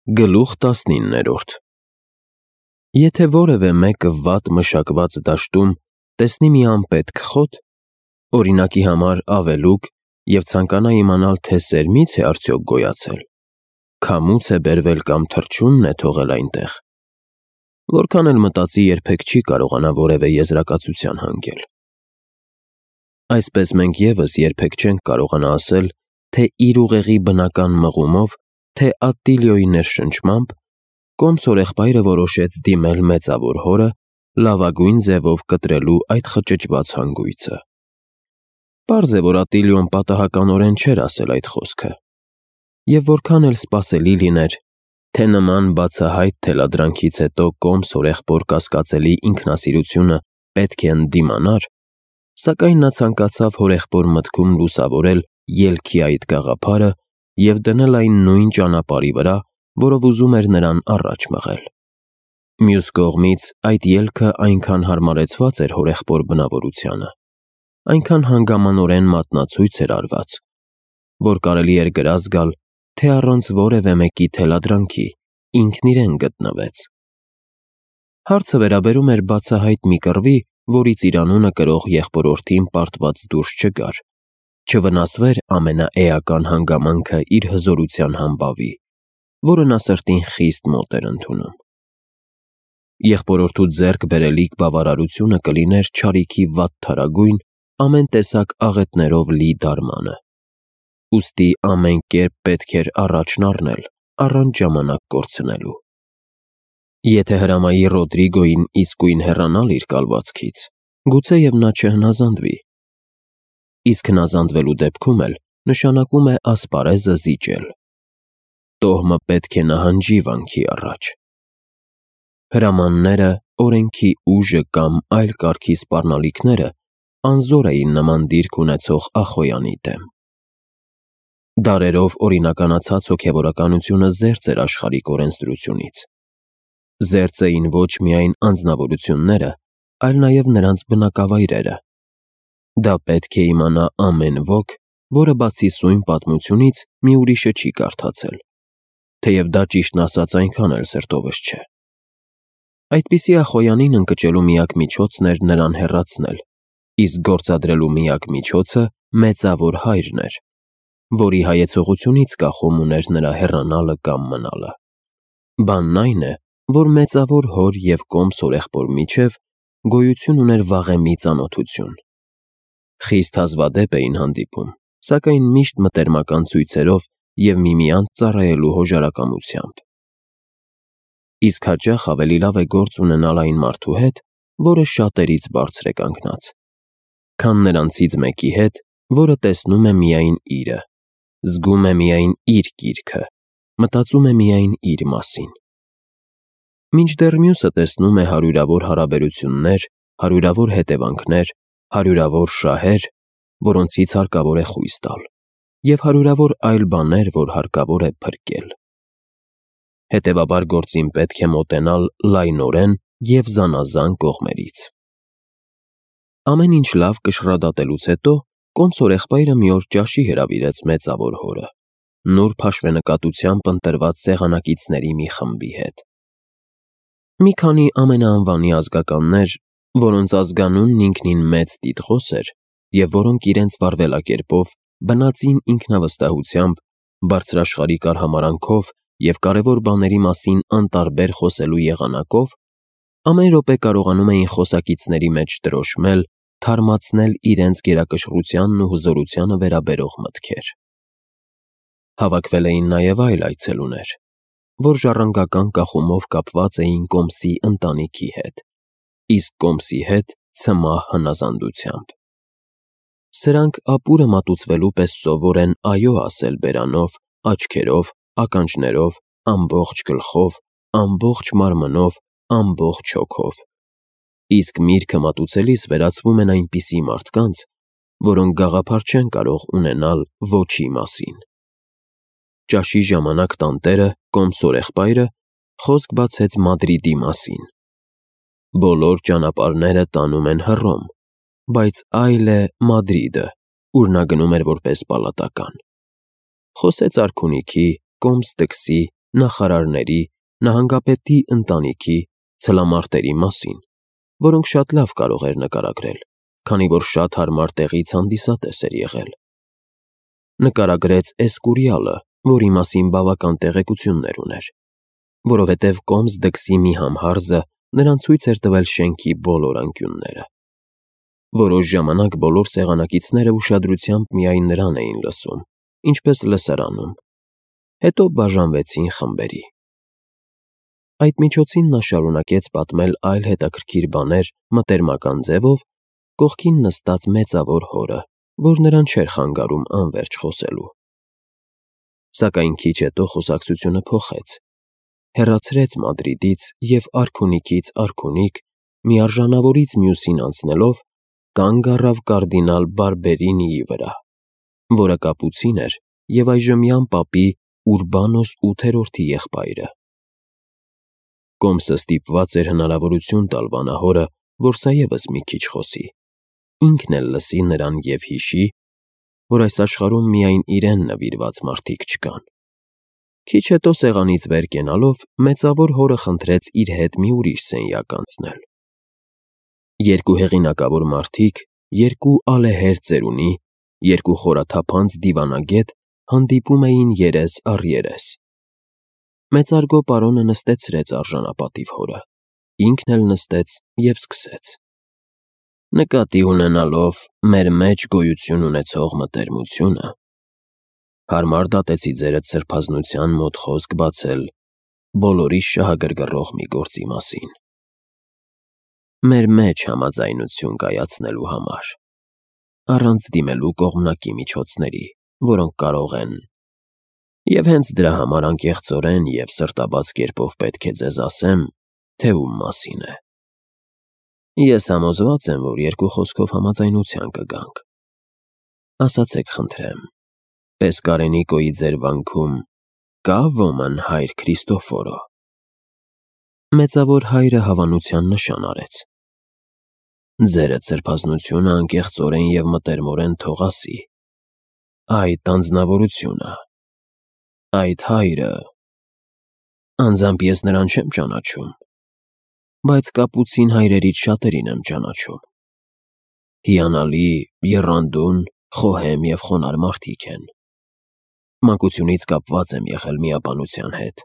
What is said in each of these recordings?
Գլուխ 19 Եթե որևէ մեկը վատ մշակված դաշտում տեսնի մի անպետք խոտ, օրինակի համար ավելուկ, և ցանկանա իմանալ, թե սերմից է արդյոք գոյացել, քամուց է բերվել կամ թռչունն է թողել այնտեղ, որքան էլ մտածի, երբեք չի կարողանա որևէ եզրակացության հանգել։ Այսպես մենք ևս երբեք չենք կարողանա ասել, թե իր ուղեղի բնական մղումով, թե Ատտիլիոյի ներշնչմամբ, կոմսորեղբայրը որոշեց դիմել մեծավոր հորը, լավագույն ձևով կտրելու այդ խճճված հանգույցը։ Պարզ է, որ Ատտիլիոն պատահականորեն չէր ասել այդ խոսքը, և որքան էլ սպասելի լիներ, թե նման բացահայտ թելադրանքից հետո կոմսորեղբոր կասկածելի ինքնասիրությունը պետք է ընդդիմանար, սակայն նա ցանկացավ հորեղբոր մտքում լուսավորել ելքի այդ գաղափարը և դնել այն նույն ճանապարհի վրա, որով ուզում էր նրան առաջ մղել։ Մյուս կողմից, այդ ելքը այնքան հարմարեցված էր հորեղբոր բնավորությանը, այնքան հանգամանորեն մատնացույց էր արված, որ կարելի էր գրազ գալ, թե առանց որևէ մեկի թելադրանքի ինքն իրեն գտնվեց։ Հարցը վերաբերում էր բացահայտ մի կռվի, որից իր անունը կրող եղբորորդին պարտված դուրս չգար, չվնասվեր ամենաէական հանգամանքը իր հզորության համբավի, որը նա սրտին խիստ մոտ էր ընդունում։ Եղբորորդու ձեռք բերելիք բավարարությունը կլիներ չարիքի վատթարագույն, ամեն տեսակ աղետներով լի դարմանը, ուստի ամեն կերպ պետք էր առաջն առնել, առանց ժամանակ կորցնելու։ Եթե հրամայի Ռոդրիգոյին իսկույն հեռանալ իր կալվածքից, գուցեև նա չհնազանդվի, իսկ հնազանդվելու դեպքում էլ նշանակում է ասպարեզը զիջել։ Տոհմը պետք է նահանջի վանքի առաջ։ Հրամանները, օրենքի ուժը կամ այլ կարգի սպառնալիքները անզոր էին նման դիրք ունեցող Ախոյանի դեմ։ Դարերով օրինականացած հոգևորականությունը զերծ էր աշխարհիկ օրենսդրությունից։ Զերծ էին ոչ միայն անձնավորությունները, այլ նաև նրանց բնակավայրերը։ Դա պետք է իմանա ամեն ոք, որը բացի սույն պատմությունից մի ուրիշը չի կարդացել, թեև դա ճիշտն ասած այնքան էլ սրտովս չէ։ Այդպիսի Ախոյանին ընկճելու միակ միջոցն էր նրան հեռացնել, իսկ գործադրելու միակ միջոցը մեծավոր հայրն էր, որի հայեցողությունից կախում ուներ նրա հեռանալը կամ մնալը։ Բանն այն է, որ մեծավոր հոր և կոմսորեղբոր միջև գոյություն ուներ վաղեմի ծանոթություն։ Խիստ հազվադեպ էին հանդիպում, սակայն միշտ մտերմական ցույցերով և միմյանց ծառայելու հոժարակամությամբ։ Իսկ հաճախ ավելի լավ է գործ ունենալ այն մարդու հետ, որը շատերից բարձր է կանգնած, քան նրանցից մեկի հետ, որը տեսնում է միայն իրը, զգում է միայն իր կիրքը, մտածում է միայն իր մասին։ Մինչդեռ մյուսը տեսնում է հարյուրավոր հարաբերություններ, հարյուրավոր հետևանքներ, հարյուրավոր շահեր, որոնցից հարկավոր է խույս տալ, և հարյուրավոր այլ բաներ, որ հարկավոր է փրկել։ Հետևաբար գործին պետք է մոտենալ լայնորեն և զանազան կողմերից։ Ամեն ինչ լավ կշռադատելուց հետո կոմսորեղբայրը մի օր ճաշի հրավիրեց մեծավոր հորը, նուրբ հաշվենկատությամբ ընտրված սեղանակիցների մի խմբի հետ։ Մի քանի ամենաանվանի ազգականներ, որոնց ազգանունն ինքնին մեծ տիտղոս էր, և որոնք իրենց վարվելակերպով, բնածին ինքնավստահությամբ, բարձրաշխարհիկ արհամարհանքով և կարևոր բաների մասին անտարբեր խոսելու եղանակով, ամեն րոպե կարողանում էին խոսակիցների մեջ տրոշմել, թարմացնել իրենց գերակշռությանն ու հզորությանը վերաբերող մտքեր։ Հավաքվել էին նաև այլ այցելուներ, որ ժառանգական կախումով կապված էին Կոմսի ընտանիքի հետ, իսկ Կոմսի հետ ցմահ հնազանդությամբ։ Սրանք ապուրը մատուցվելու պես սովոր են այո ասել բերանով, աչքերով, ականջներով, ամբողջ գլխով, ամբողջ մարմնով, ամբողջ հոգով, իսկ միրգը մատուցելիս վերածվում են այնպիսի մարդկանց, որոնք գաղափար չեն կարող ունենալ ոչի մասին։ Ճաշի ժամանակ տանտերը, կոմսորեղբայրը, խոսք բացեց Մադրիդի մասին։ Բոլոր ճանապարհները տանում են Հռոմ, բայց այլ է Մադրիդը, ուր նա գնում էր որպես պալատական։ Խոսեց արքունիքի, Կոմս տքսի, նախարարների, նահանգապետի ընտանիքի, ցլամարտերի մասին, որոնք շատ լավ կարող էր նկարագրել, քանի որ շատ հարմար տեղից հանդիսատես էր եղել։ Նկարագրեց Էսկուրիալը, որի մասին բավական տեղեկություններ ուներ, որովհետև կոմս դքսի մի համհարզը նրան ցույց էր տվել շենքի բոլոր անկյունները։ Որոշ ժամանակ բոլոր սեղանակիցները ուշադրությամբ միայն նրան էին լսում, ինչպես լսարանում, հետո բաժանվեցին խմբերի։ Այդ միջոցին նա շարունակեց պատմել այլ հետաքրքիր բաներ մտերմական ձևով, կողքին նստած մեծավոր հորը, որ նրան չէր խանգարում անվերջ խոսելու։ Սակայն քիչ հետո խոսակցությունը փոխեց, հեռացրեց Մադրիդից և արքունիքից արքունիք, մի արժանավորից մյուսին անցնելով, կանգ առավ կարդինալ Բարբերինիի վրա, որը կապուցին էր և այժմյան պապի Ուրբանոս 8-րդի եղբայրը։ Կոմսը ստիպված էր հնարավորություն տալ վանահորը, որ սա ևս մի քիչ խոսի, ինքն էլ լսի նրան և հիշի, որ այս աշխարհում միայն իրեն նվիրված մարդիկ չկան։ Քիչ հետո սեղանից վեր կենալով, մեծավոր հորը խնդրեց իր հետ մի ուրիշ սենյակ անցնել։ Երկու հեղինակավոր մարդիկ, երկու ալեհեր ծերունի, երկու խորաթափանց դիվանագետ հանդիպում էին երես առ երես։ Մեծարգո պարոնը նստեցրեց արժանապատիվ հորը, ինքն էլ նստեց և սկսեց. Նկատի ունենալով մեր մեջ գոյություն ունեցող մտերմությունը, հարմար դատեցի ձերդ սրբազնության մոտ խոսք բացել բոլորիս շահագրգռող մի գործի մասին։ Մեր մեջ համաձայնություն կայացնելու համար, առանց դիմելու կողմնակի միջոցների, որոնք կարող են… Եվ հենց դրա համար անկեղծորեն և սրտաբաց կերպով պետք է ձեզ ասեմ, թե ում մասին է։ Ես համոզված եմ, որ երկու խոսքով համաձայնության կգանք։ Ասացեք խնդրեմ, Պեսկարենիկոյի ձեր վանքում կա ոմն հայր Քրիստոֆորո։ Մեծավոր հայրը հավանության նշան արեց։ Ձերդ սրբազնությունը անկեղծորեն և մտերմորեն թող ասի. այդ անձնավորությունը, այդ հայրը… Անձամբ ես նրան չեմ ճանաչում, բայց կապուցին հայրերից շատերին եմ ճանաչում։ Հիանալի, եռանդուն, խոհեմ և խոնարհ մարդիկ են։ Մանկությունից կապված եմ եղել միապանության հետ,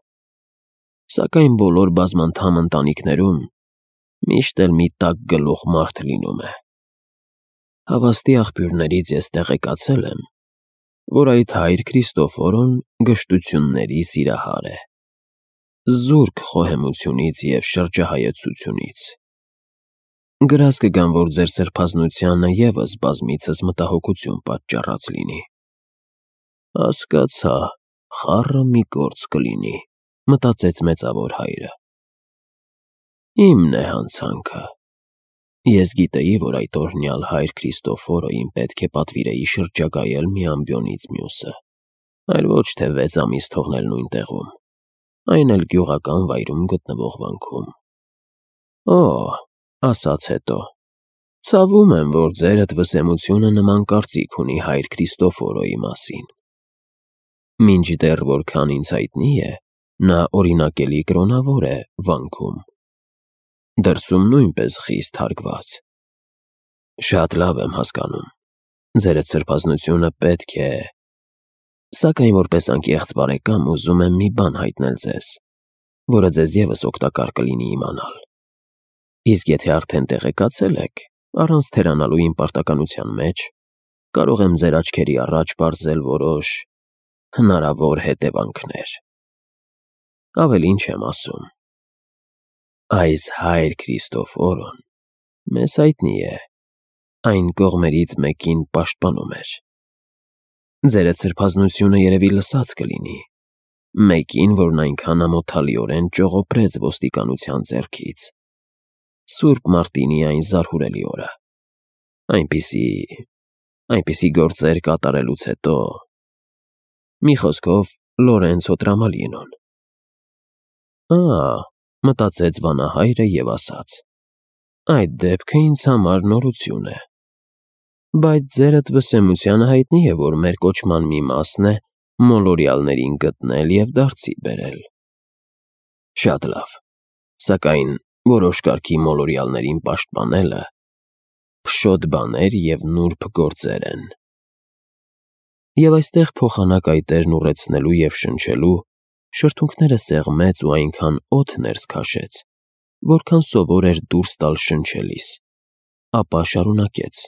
սակայն բոլոր բազմանդամ ընտանիքներում միշտ էլ մի տաք գլուխ մարդ լինում է։ Հավաստի աղբյուրներից ես տեղեկացել եմ, որ այդ հայր Քրիստոֆորոն գժտությունների սիրահար է, զուրկ խոհեմությունից և շրջահայեցությունից։ Գրազ կգամ, որ ձեր սրբազնությանը ևս բազմիցս մտահոգություն պատճառած լինի։ Հասկացա, խառը մի գործ կլինի, մտածեց մեծավոր հայրը։ Իմն է հանցանքը։ Ես գիտեի, որ այդ օրհնյալ հայր Քրիստոֆորոյին պետք է պատվիրեի շրջագայել մի ամբիոնից մյուսը, այլ ոչ թե 6 ամիս թողնել նույն տեղում, այն էլ գյուղական վայրում գտնվող վանքում։ Օ, ասաց հետո, ցավում եմ, որ ձերդ վսեմությունը նման կարծիք ունի հայր Քրիստոֆորոյի մասին։ Մինչդեռ որքան ինձ հայտնի է, նա օրինակելի կրոնավոր է վանքում, դրսում նույնպես խիստ հարգված։ Շատ լավ եմ հասկանում, ձերդ սրբազնությունը պետք է… Սակայն որպես անկեղծ բարեկամ ուզում եմ մի բան հայտնել ձեզ, որը ձեզ ևս օգտակար կլինի իմանալ։ Իսկ եթե արդեն տեղեկացել եք, առանց թերանալու իմ պարտականության մեջ, կարող եմ ձեր աչքերի առաջ պարզել որոշ հնարավոր հետևանքներ։ Ավելին չեմ ասում։ Այս հայր Քրիստոֆորոն մեզ հայտնի է, այն կողմերից մեկին պաշտպանում էր։ Ձերդ սրբազնությունը երևի լսած կլինի, մեկին, որն այնքան ամոթալիորեն ճողոպրեց ոստիկանության ձեռքից, Սուրբ Մարտինի այն զարհուրելի օրը, այնպիսի գործեր կատարելուց հետո… Մի խոսքով, Լորենցո Տրամալինոն։ Մտածեց վանահայրը և ասաց. այդ դեպքը ինձ համար նորություն է։ Բայց ձերդ վսեմությանը հայտնի է, որ մեր կոչման մի մասն է մոլորյալներին գտնել և դարձի բերել։ Շատ լավ, սակայն որոշ կարգի մոլորյալներին պաշտպանելը փշոտ բաներ և նուրբ գործեր են։ Եվ այստեղ փոխանակ այտերն ուռեցնելու և շնչելու շրթունքները սեղմեց ու այնքան օդ ներս քաշեց, որքան սովոր էր դուրս տալ շնչելիս, ապա շարունակեց.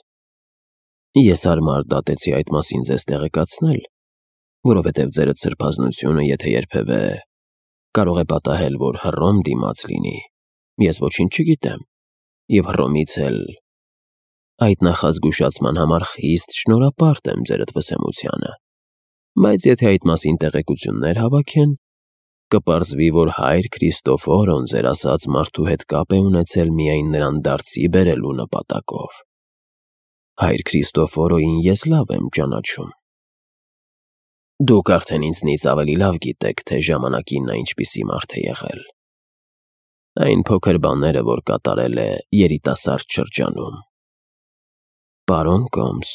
Ես հարմար դատեցի այդ մասին ձեզ տեղեկացնել, որովհետև ձերդ սրբազնությունը, եթե երբևէ կարող է պատահել, որ Հռոմ դիմաց լինի, ես ոչինչ չգիտեմ, և Հռոմից էլ այդ նախազգուշացման համար խիստ շնորհապարտ եմ ձերդ վսեմությանը, բայց եթե այդ մասին տեղեկություններ հավաքեն, կպարզվի, որ հայր Քրիստոֆորոն ձեր ասած մարդու հետ կապ է ունեցել միայն նրան դարձի բերելու նպատակով։ Հայր Քրիստոֆորոյին ես լավ եմ ճանաչում։ Դուք արդեն ինձնից ավելի լավ գիտեք, թե ժամանակին նա ինչպիսի մարդ է եղել։ Այն փոքր բաները, որ կատարել է երիտասարդ շրջանում։ Պարոն Կոմս,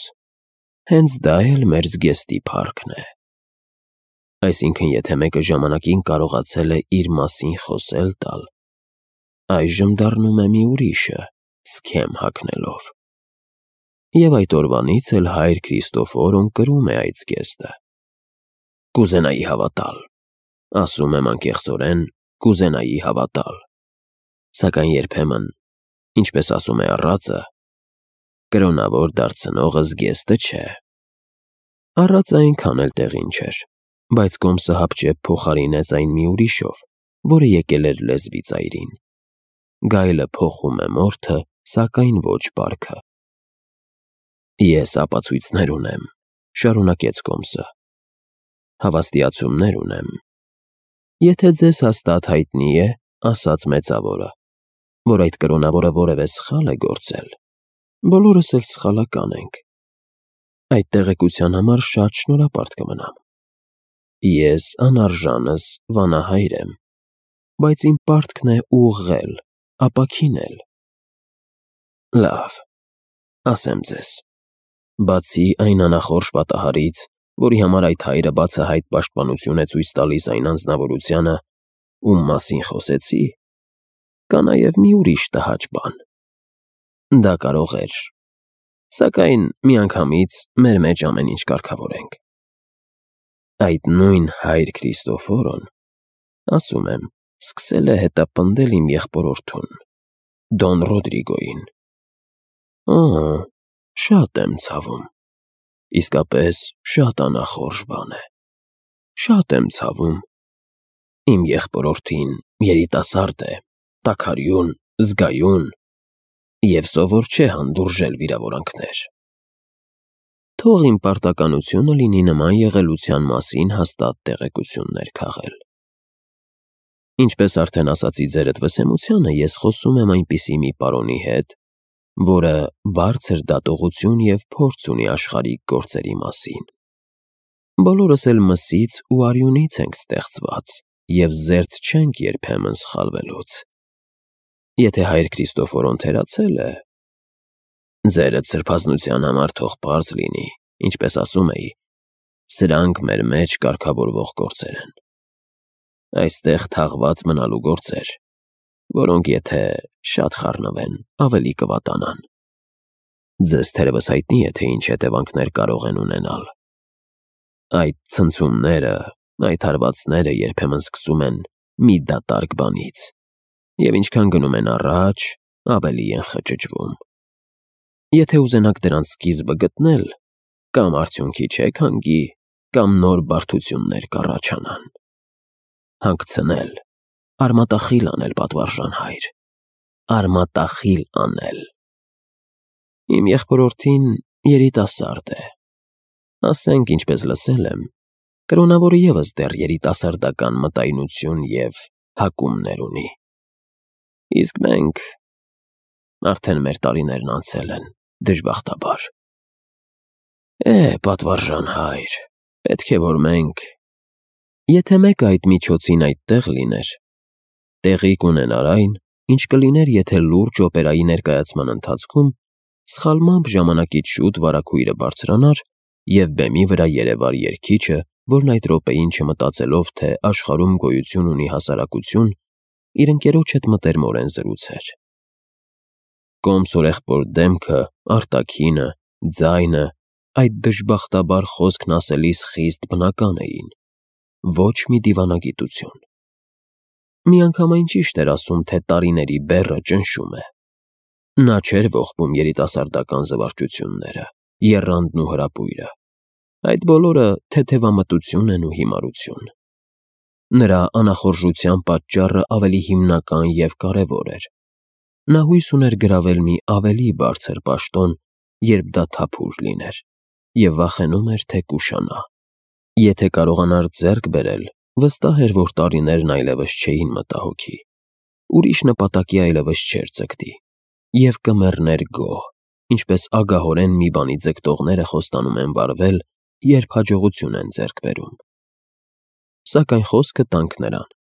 հենց դա էլ մեր զգեստի փառքն է։ Այսինքն, եթե մեկը ժամանակին կարողացել է իր մասին խոսել տալ, այժմ դառնում է մի ուրիշը, սքեմ հագնելով։ Եվ այդ օրվանից էլ հայր Քրիստոֆորոն կրում է այդ զգեստը։ Կուզենայի հավատալ, ասում եմ անկեղծորեն, կուզենայի հավատալ, սակայն երբեմն, ինչպես ասում է առածը, կրոնավոր դարձնողը զգեստը չէ։ Առածը այնքան էլ տեղին չէր, բայց Կոմսը հապճեպ փոխարինեց այն մի ուրիշով, որը եկել էր լեզվի ծայրին։ Գայլը փոխում է մորթը, սակայն ոչ պարքը։ Ես ապացույցներ ունեմ, շարունակեց Կոմսը, հավաստիացումներ ունեմ։ Եթե ձեզ հաստատ հայտնի է, ասաց մեծավորը, որ այդ կրոնավորը որևէ սխալ է գործել, բոլորս էլ սխալական ենք, այդ տեղեկության համար շատ շնորհապարտ կմնամ։ Ես անարժանս վանահայր եմ, բայց իմ պարտքն է ուղղել, ապաքինել։ Լավ, ասեմ ձեզ, բացի այն անախորժ պատահարից, որի համար այդ հայրը բացահայտ պաշտպանություն է ցույց տալիս այն անձնավորությանը, ում մասին խոսեցի, կա նաև մի ուրիշ տհաճ բան։ Դա կարող էր, սակայն միանգամից մեր մեջ ամեն ինչ կարգավորենք։ Այդ նույն հայր Քրիստոֆորոն, ասում եմ, սկսել է հետապնդել իմ եղբորորդուն, Դոն Ռոդրիգոյին։ Շատ եմ ցավում, իսկապես շատ անախորժ բան է, շատ եմ ցավում։ Իմ եղբորորդին երիտասարդ է, տաքարյուն, զգայուն և սովոր չէ հանդուրժել վիրավորանքներ։ Թող իմ պարտականությունը լինի նման եղելության մասին հաստատ տեղեկություններ քաղել։ Ինչպես արդեն ասացի ձերդ վսեմությանը, ես խոսում եմ այնպիսի մի պարոնի հետ, որը բարձր դատողություն և փորձ ունի աշխարհիկ գործերի մասին։ Բոլորս էլ մսից ու արյունից ենք ստեղծված և զերծ չենք երբեմն սխալվելուց։ Եթե հայր Քրիստոֆորոն թերացել է, ձերդ սրբազնության համար թող պարզ լինի, ինչպես ասում էի, սրանք մեր մեջ կարգավորվող գործեր են։ Այստեղ թաղված մնալու գործեր, որոնք եթե շատ խառնվեն, ավելի կվատանան։ Ձեզ թերևս հայտնի է, թե ինչ հետևանքներ կարող են ունենալ։ Այդ ցնցումները, այդ հարվածները երբեմն սկսում են մի դատարկ բանից, և ինչքան գնում են առաջ, ավելի են խճճվում։ Եթե ուզենաք դրանց սկիզբը գտնել, կամ արդյունքի չեք հանգի, կամ նոր բարդություններ կառաջանան։ Հանգցնել, արմատախիլ անել, պատվարժան հայր, արմատախիլ անել։ Իմ եղբորորդին երիտասարդ է, ասենք, ինչպես լսել եմ, կրոնավորը ևս դեռ երիտասարդական մտայնություն և հակումներ ունի։ Իսկ մենք արդեն մեր տարիներն անցել են, դժբախտաբար։ Պատվարժան հայր, պետք է որ մենք… Եթե մեկը այդ միջոցին այդտեղ լիներ, տեղի կունենար այն, ինչ կլիներ, եթե լուրջ օպերայի ներկայացման ընթացքում սխալմամբ ժամանակից շուտ վարագույրը բարձրանար և բեմի վրա երևար երգիչը, որն այդ րոպեին չմտածելով, թե աշխարհում գոյություն ունի հասարակություն, իր ընկերոջ հետ մտերմորեն զրուցեր։ Կոմսորեղբոր դեմքը, արտաքինը, ձայնը, այդ դժբախտաբար խոսքն ասելիս խիստ բնական էին, ոչ մի դիվանագիտություն։ Միանգամայն ճիշտ էր ասում, թե տարիների բեռը ճնշում է։ Նա չէր ողբում երիտասարդական զվարճությունները, եռանդն ու հրապույրը։ Այդ բոլորը թեթևամտություն են ու հիմարություն։ Նրա անախորժության պատճառը ավելի հիմնական և կարևոր էր։ Նա հույս ուներ գրավել մի ավելի բարձր պաշտոն, երբ դա թափուր լիներ, և վախենում էր, թե կուշանա։ Եթե կարողանար ձեռք բերել, վստահ էր, որ տարիներն այլևս չէին մտահոգի, ուրիշ նպատակի այլևս չէր ձգտի, և կմեռներ գոհ, ինչպես ագահորեն մի բանի ձգտողները խոստանում են վարվել, երբ հաջողություն են ձեռք բերում։ Սակայն խոսքը տանք նրան։